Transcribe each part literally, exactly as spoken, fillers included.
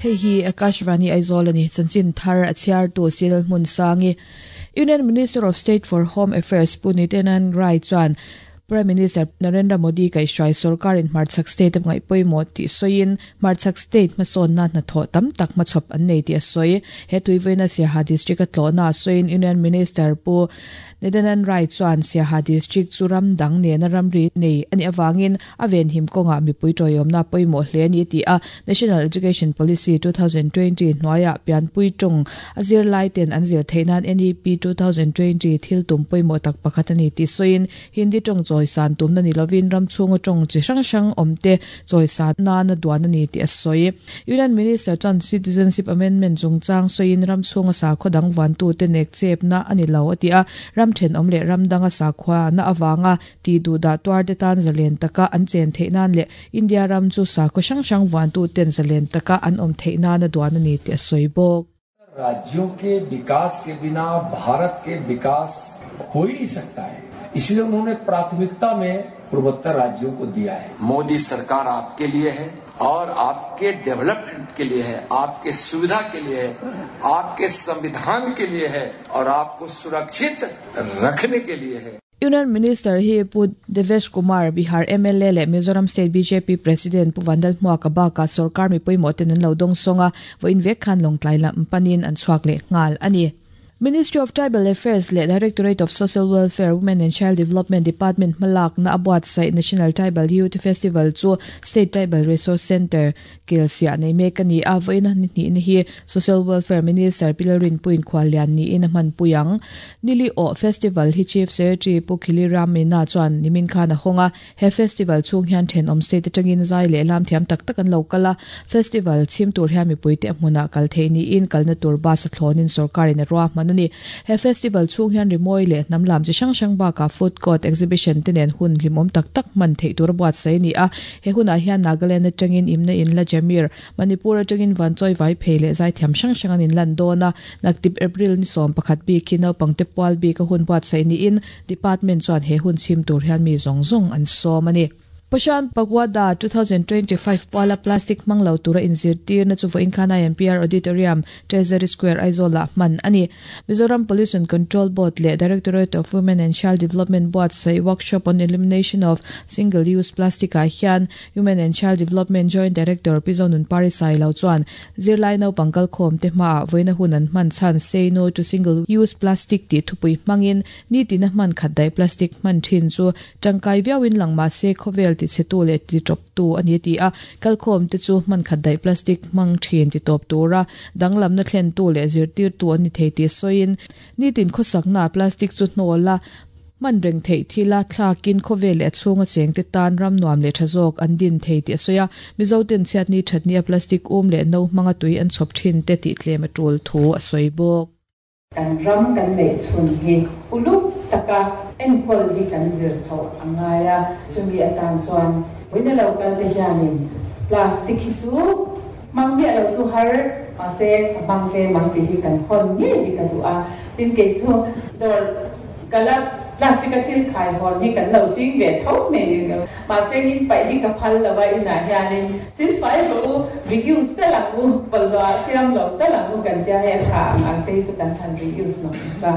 Hei hi Akashvani Aizawl ani chanchin thar a chhiar tu Sil Hmun Sangi. Union Minister of State for Home Affairs Pu Nityanand Rai chuan Prime Minister Narendra Modi kai hrai sarkar in Hmarchhak state ngai pawimawh tih sawiin Hmarchhak state hmasawnna hnathawh tam tak hmachhawp an nei tih a sawi. He tuivaina Siaha district a tlawhna sawiin Union Minister Pu Nityanand Rai chuan Siaha district chu ram dang nena ramri nei ani awangin a ven him kawnga mipui tawihawmna pawimawh hle ani ti a. National Education Policy twenty twenty hnuaiah pianpui tawng a zir lai ten an zir theihnan N E P twenty twenty thil tum pawimawh tak pakhat ani ti sawiin Hindi tawng chawi san tumna ni lovin ram chhunga tawng chi hrang hrang awmte chawi san nana duan ani ti a sawi. Union Minister chuan Citizenship Amendment chungchang sawiin ram chhunga sakhaw dang vantu te nek chepna ani lo ati a. Ram then awm leh ram danga sakhua na awanga ti du da tuar te tan zalen taka an chen theihnan leh India ram chu sakhaw hrang hrang vantu ten zalen taka an awm theihnan a duan ani ti a sawi bawk. राज्यों के विकास के बिना भारत के विकास हो ही नहीं सकता है, इसलिए उन्होंने प्राथमिकता में पूर्वोत्तर राज्यों को दिया है। मोदी सरकार आपके लिए है और आपके डेवलपमेंट के लिए है, आपके सुविधा के लिए है, आपके संविधान के लिए है और आपको सुरक्षित रखने के लिए है। Union Minister hi Pu Devesh Kumar Bihar M L A le Mizoram State B J P President Pu Vandal Hmuaka baka sarkar mi pawimawh ten an lo dawng sawnga vawiin vek khan lawngtlai lam panin an chhuak leh nghal ani. Ministry of Tribal Affairs le Directorate of Social Welfare, Women and Child Development Department malak na abuat sa National Tribal Youth Festival chu State Tribal Resource Center Kelsia nei mek ani a vawiin ni ni hi Social Welfare Minister Pilarin Puin Khwalian ni in man puyang nili o festival hi Chief Secretary Pu Khili Ramina chuan nimin khan a honga he festival chung hian then om state atangin zai le lam thiam tak tak an lokala festival chim tur hian mi puite hmuna kal thei ni in kalna tur bus a thlonin sarkarin a ruah manani he festival chung hian rimoi le namlam chi hrang hrang ba ka food court exhibition tenen hun limom tak tak man thei tur buat sei ni a he huna hian Nagaland atangin imna in la Jamir Manipur atangin vanchoi vai phele zai thiam hrang hrang an in lan dona naktip April ni som pakhat bi kino pangte pwal bi ka hun buat sei ni in department chuan he hun chim tur hian mi zong zong an som ani. Poshan Pagwada twenty twenty-five pala plastic manglo tura inzirtir na chu voin khana M P R Auditorium Treasury Square Aizola man ani. Mizoram Pollution Control Board le Directorate of Women and Child Development Board sai workshop on elimination of single use plastic a hian Women and Child Development Joint Director Pizonun Parisai lo chuan zirlai no pangkal khom te ma voina hunan man chan say no to single use plastic ti thupui mangin ni tina man khat dai plastic man thin chu tangkai viawin langma se khovel ti chetu le ti top tu ani ti a kalkhom te chu man khat dai plastic mang thin ti top tura danglam na thlen tu le zir tir tu ani thei ti soin ni tin khosak na plastic chu hnola man reng thei thila thlakin khovel le chunga cheng te tan ram nuam le thazok an din thei ti soya mizo ten chiat ni thatni a plastic um le no manga tui an chop thin te ti tlem a tul thu a soibok kan ram kan nei chun hi uluk taka enkol hi kan zir tho angaya chumi atan chuan wina local te hianin plastic hi chu mangmi alo chu har ase mangke mangti hi kan hon nge hi ka tu a tin ke chu dor kala plastic a thil khai hon hi kan lo ching ve tho me ma se in pai hi ka phal lawa ina hianin sin pai bo reuse ta lang u palwa siam lo ta lang u kan tia he tha ang te chu kan than reuse no ba.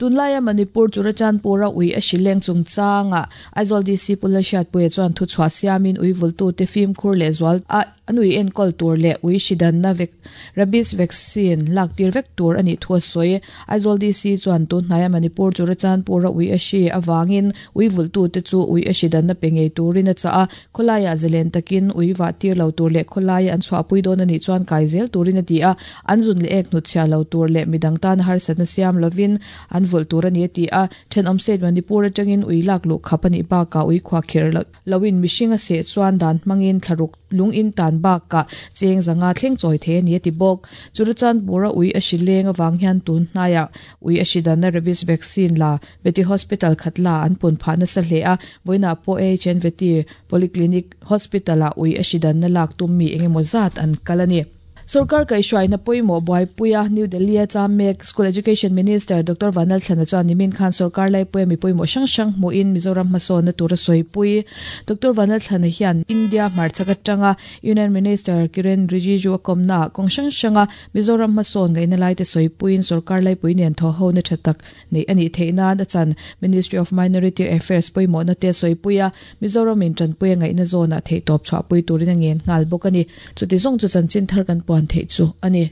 Tunlaya Manipur Churachandpura ui a shileng chungchanga Aizawl D C Pulashat pui chuan thu chhuah siamin ui vultu te fim khur le zual a anui enkol tur le ui shidan na vek rabies vaccine lak tir vek tur ani thua soi. Aizawl D C chuan tun hnaya Manipur Churachandpura ui a shi awangin ui vultu te chu ui a shidan na pengei turin a cha a kholaya zelen takin ui wa tir lo tur le kholaya an chhuah pui don ani chuan kai zel turin a ti a anzun le ek nu chhia lo tur le midang tan har san siam lovin an vul tur ani ti a then om set Manipur atangin ui lak lu khapani ba ka ui khwa kher lowin mishinga se chuan dan mangin thlaruk lung in tan ba ka cheng zanga thleng choi the ani ti bok Churachandpura ui a shileng awang hian tun hnaya ui a shidan na rabies vaccine la veti hospital khatla an pun pha na sa hle a voina po H N veti polyclinic hospital a ui a shidan na lak tum mi engemaw zat an kalani. Sarkar kaihhruaina pawimawh buaipuia New Delhi a chamek School Education Minister Doctor Vanlalthlana chuan nimin khan sarkar laipui mi pawimawh hrang hrang hmuin Mizoram hmasawnna tura sawipui Doctor Vanlalthlana hian India hmarchhak atanga Union Minister Kiren Rijiju a kawmna kawng hrang hranga Mizoram hmasawn ngaihna lai te sawipuiin sarkar laipui nen thaw ho na tha tak nei ani theihna a chan Ministry of Minority Affairs pawimawhna te sawipuia Mizoram in tanpuia ngaihna zawna thei tawp chhuahpui turin a ngen nghal bawk ani chuti zawng chu chanchin thar kan puan thei chu ani.